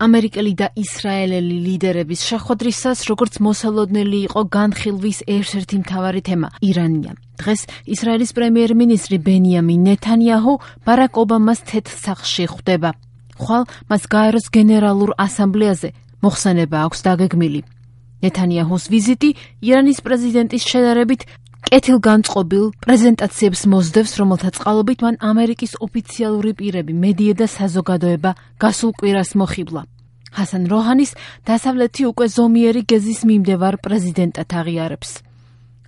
ამერიკელი და ისრაელელი ლიდერების შეხვედრისას, როგორც მოსალოდნელი იყო განხილვის ერთ-ერთი მთავარი თემა ირანია. დღეს ისრაელის პრემიერ-მინისტრი ბენიამინ ნეთანიაჰუ ბარაკ ობამას თეთრ სახლში ხვდება. ხვალ მას გაეროს გენერალურ ასამბლეაზე მოხსენება აქვს დაგეგმილი. ნეთანიაჰუს ვიზიტი ირანის პრეზიდენტის შედარებით კეთილგანწყობილ პრეზენტაციებს მოსდევს, რომელთა წყალობით მან ამერიკის ოფიციალური პირები, მედია და საზოგადოება გასულ კვირას მოხიბლა. ჰასან როჰანის დასავლეთი უკვე ზომიერი გეზის მიმდევარ პრეზიდენტად აღიარებს.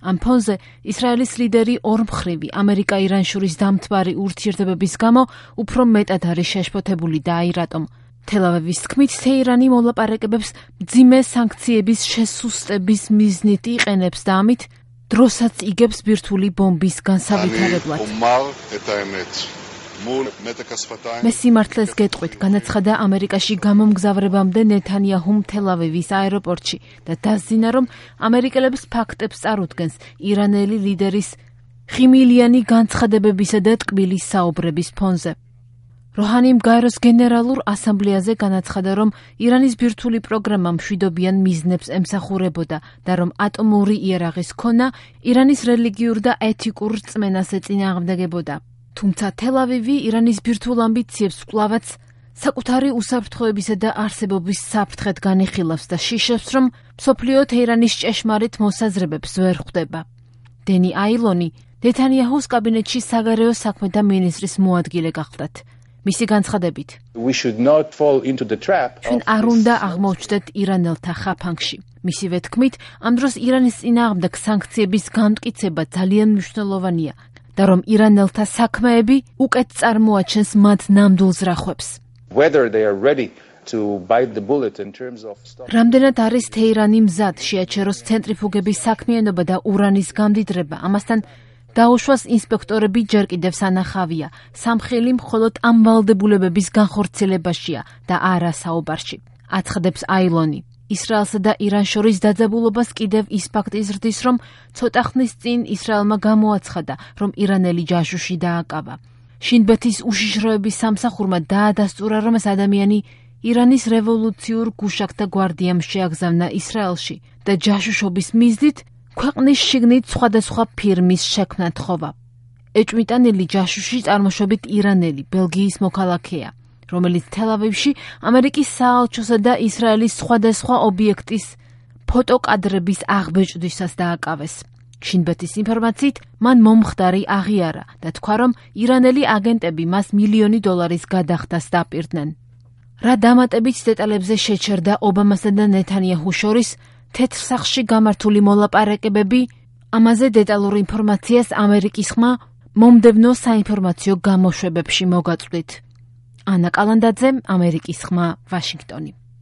ამ ფონზე ისრაელის ლიდერი ორმხრივი ამერიკა-ირან შორის დამთვარი ურთიერთობების გამო უფრო მეტად არის შეშფოთებული და აი რატომ. თელ-ავივის თქმით, თეირანი მოლაპარაკებებს მძიმე სანქციების შესუსტების მიზნით იყენებს და ამით დროსაც იგებს ბირთვული ბომბის განსავითარებლად. მე სიმართლეს გეტყვით, განაცხადა ამერიკაში გამომგზავრებამდე ნეთანიაჰუმ თელ-ავივის აეროპორტში და დასძინა, რომ ამერიკელებს ფაქტებს წარუდგენს ირანელი ლიდერის ხიმილიანი განცხადებებისა და ტკბილის საუბრების ფონზე. როჰანიმ გაეროს გენერალურ ასამბლეაზე განაცხადა, რომ ირანის ბირთვული პროგრამა მშვიდობიან მიზნებს ემსახურებოდა და რომ ატომური იარაღის ქონა ირანის რელიგიურ და ეთიკურ რწმენას ეწინააღმდეგებოდა. თუმცა თელ-ავივი ირანის ბირთვულ ამბიციებს კვლავაც საკუთარი უსაფრთხოებისა და არსებობის საფრთხედ განიხილავს და შიშებს, რომ მსოფლიო თეირანის ჭეშმარიტ მოსაზრებებს ვერ ხვდება. დენი აილონი ნეთანიაჰუს კაბინეტში საგარეო საქმეთა მინისტრის მოადგილე გახლდათ. მისი განცხადებით, ჩვენ არ უნდა აღმოჩნდეთ ირანელთა ხაფანგში. მისივე თქმით, ამ დროს ირანის წინააღმდეგ სანქციების განმტკიცება ძალიან მნიშვნელოვანია და რომ ირანელთა საქმეები უკეთ წარმოაჩენს მათ ნამდვილ ზრახვებს. რამდენად არის თეირანი მზად შეაჩეროს ცენტრიფუგების საქმიანობა და ურანის გამდიდრება, ამასთან დაუშვას ინსპექტორები ჯერ კიდევ სანახავია. სამხელი მხოლოდ ამ ვალდებულებების განხორციელებაშია და არა საუბარში. აცხადებს აილონი. ისრაელსა და ირან შორის დაძაბულობას კიდევ ის ფაქტი ზრდის, რომ ცოტა ხნის წინ ისრაელმა გამოაცხადა, რომ ირანელი ჯაშუში დააკავა. შინბეთის უშიშროების სამსახურმა დაადასტურა, რომ ეს ადამიანი ირანის რევოლუციურ გუშაკთა გვარდიამ შეაგზავნა ისრაელში და ჯაშუშობის მიზნით ქვეყნის შიგნით სხვადასხვა ფირმის შექმნა თხოვა. ეჭვმიტანილი ჯაშუში წარმოშობით ირანელი, ბელგიის მოქალაქეა, რომელიც თელ-ავივში ამერიკის საელჩოსა და ისრაელის სხვადასხვა ობიექტის ფოტოკადრების აღბეჭდვისას დააკავეს. შინბეთის ინფორმაციით, მან მომხდარი აღიარა და თქვა, რომ ირანელი აგენტები მას $1,000,000 გადახდას დაპირდნენ. რა დამატებით დეტალებზე შეჩერდა ობამასა და ნეთანიაჰუს შორის თეთრ სახლში გამართული მოლაპარაკებები, ამაზე დეტალურ ინფორმაციას ამერიკის ხმა მომდევნო საინფორმაციო გამოშვებებში მოგაწვდით. ანა კალანდაძე, ამერიკის ხმა, ვაშინგტონი.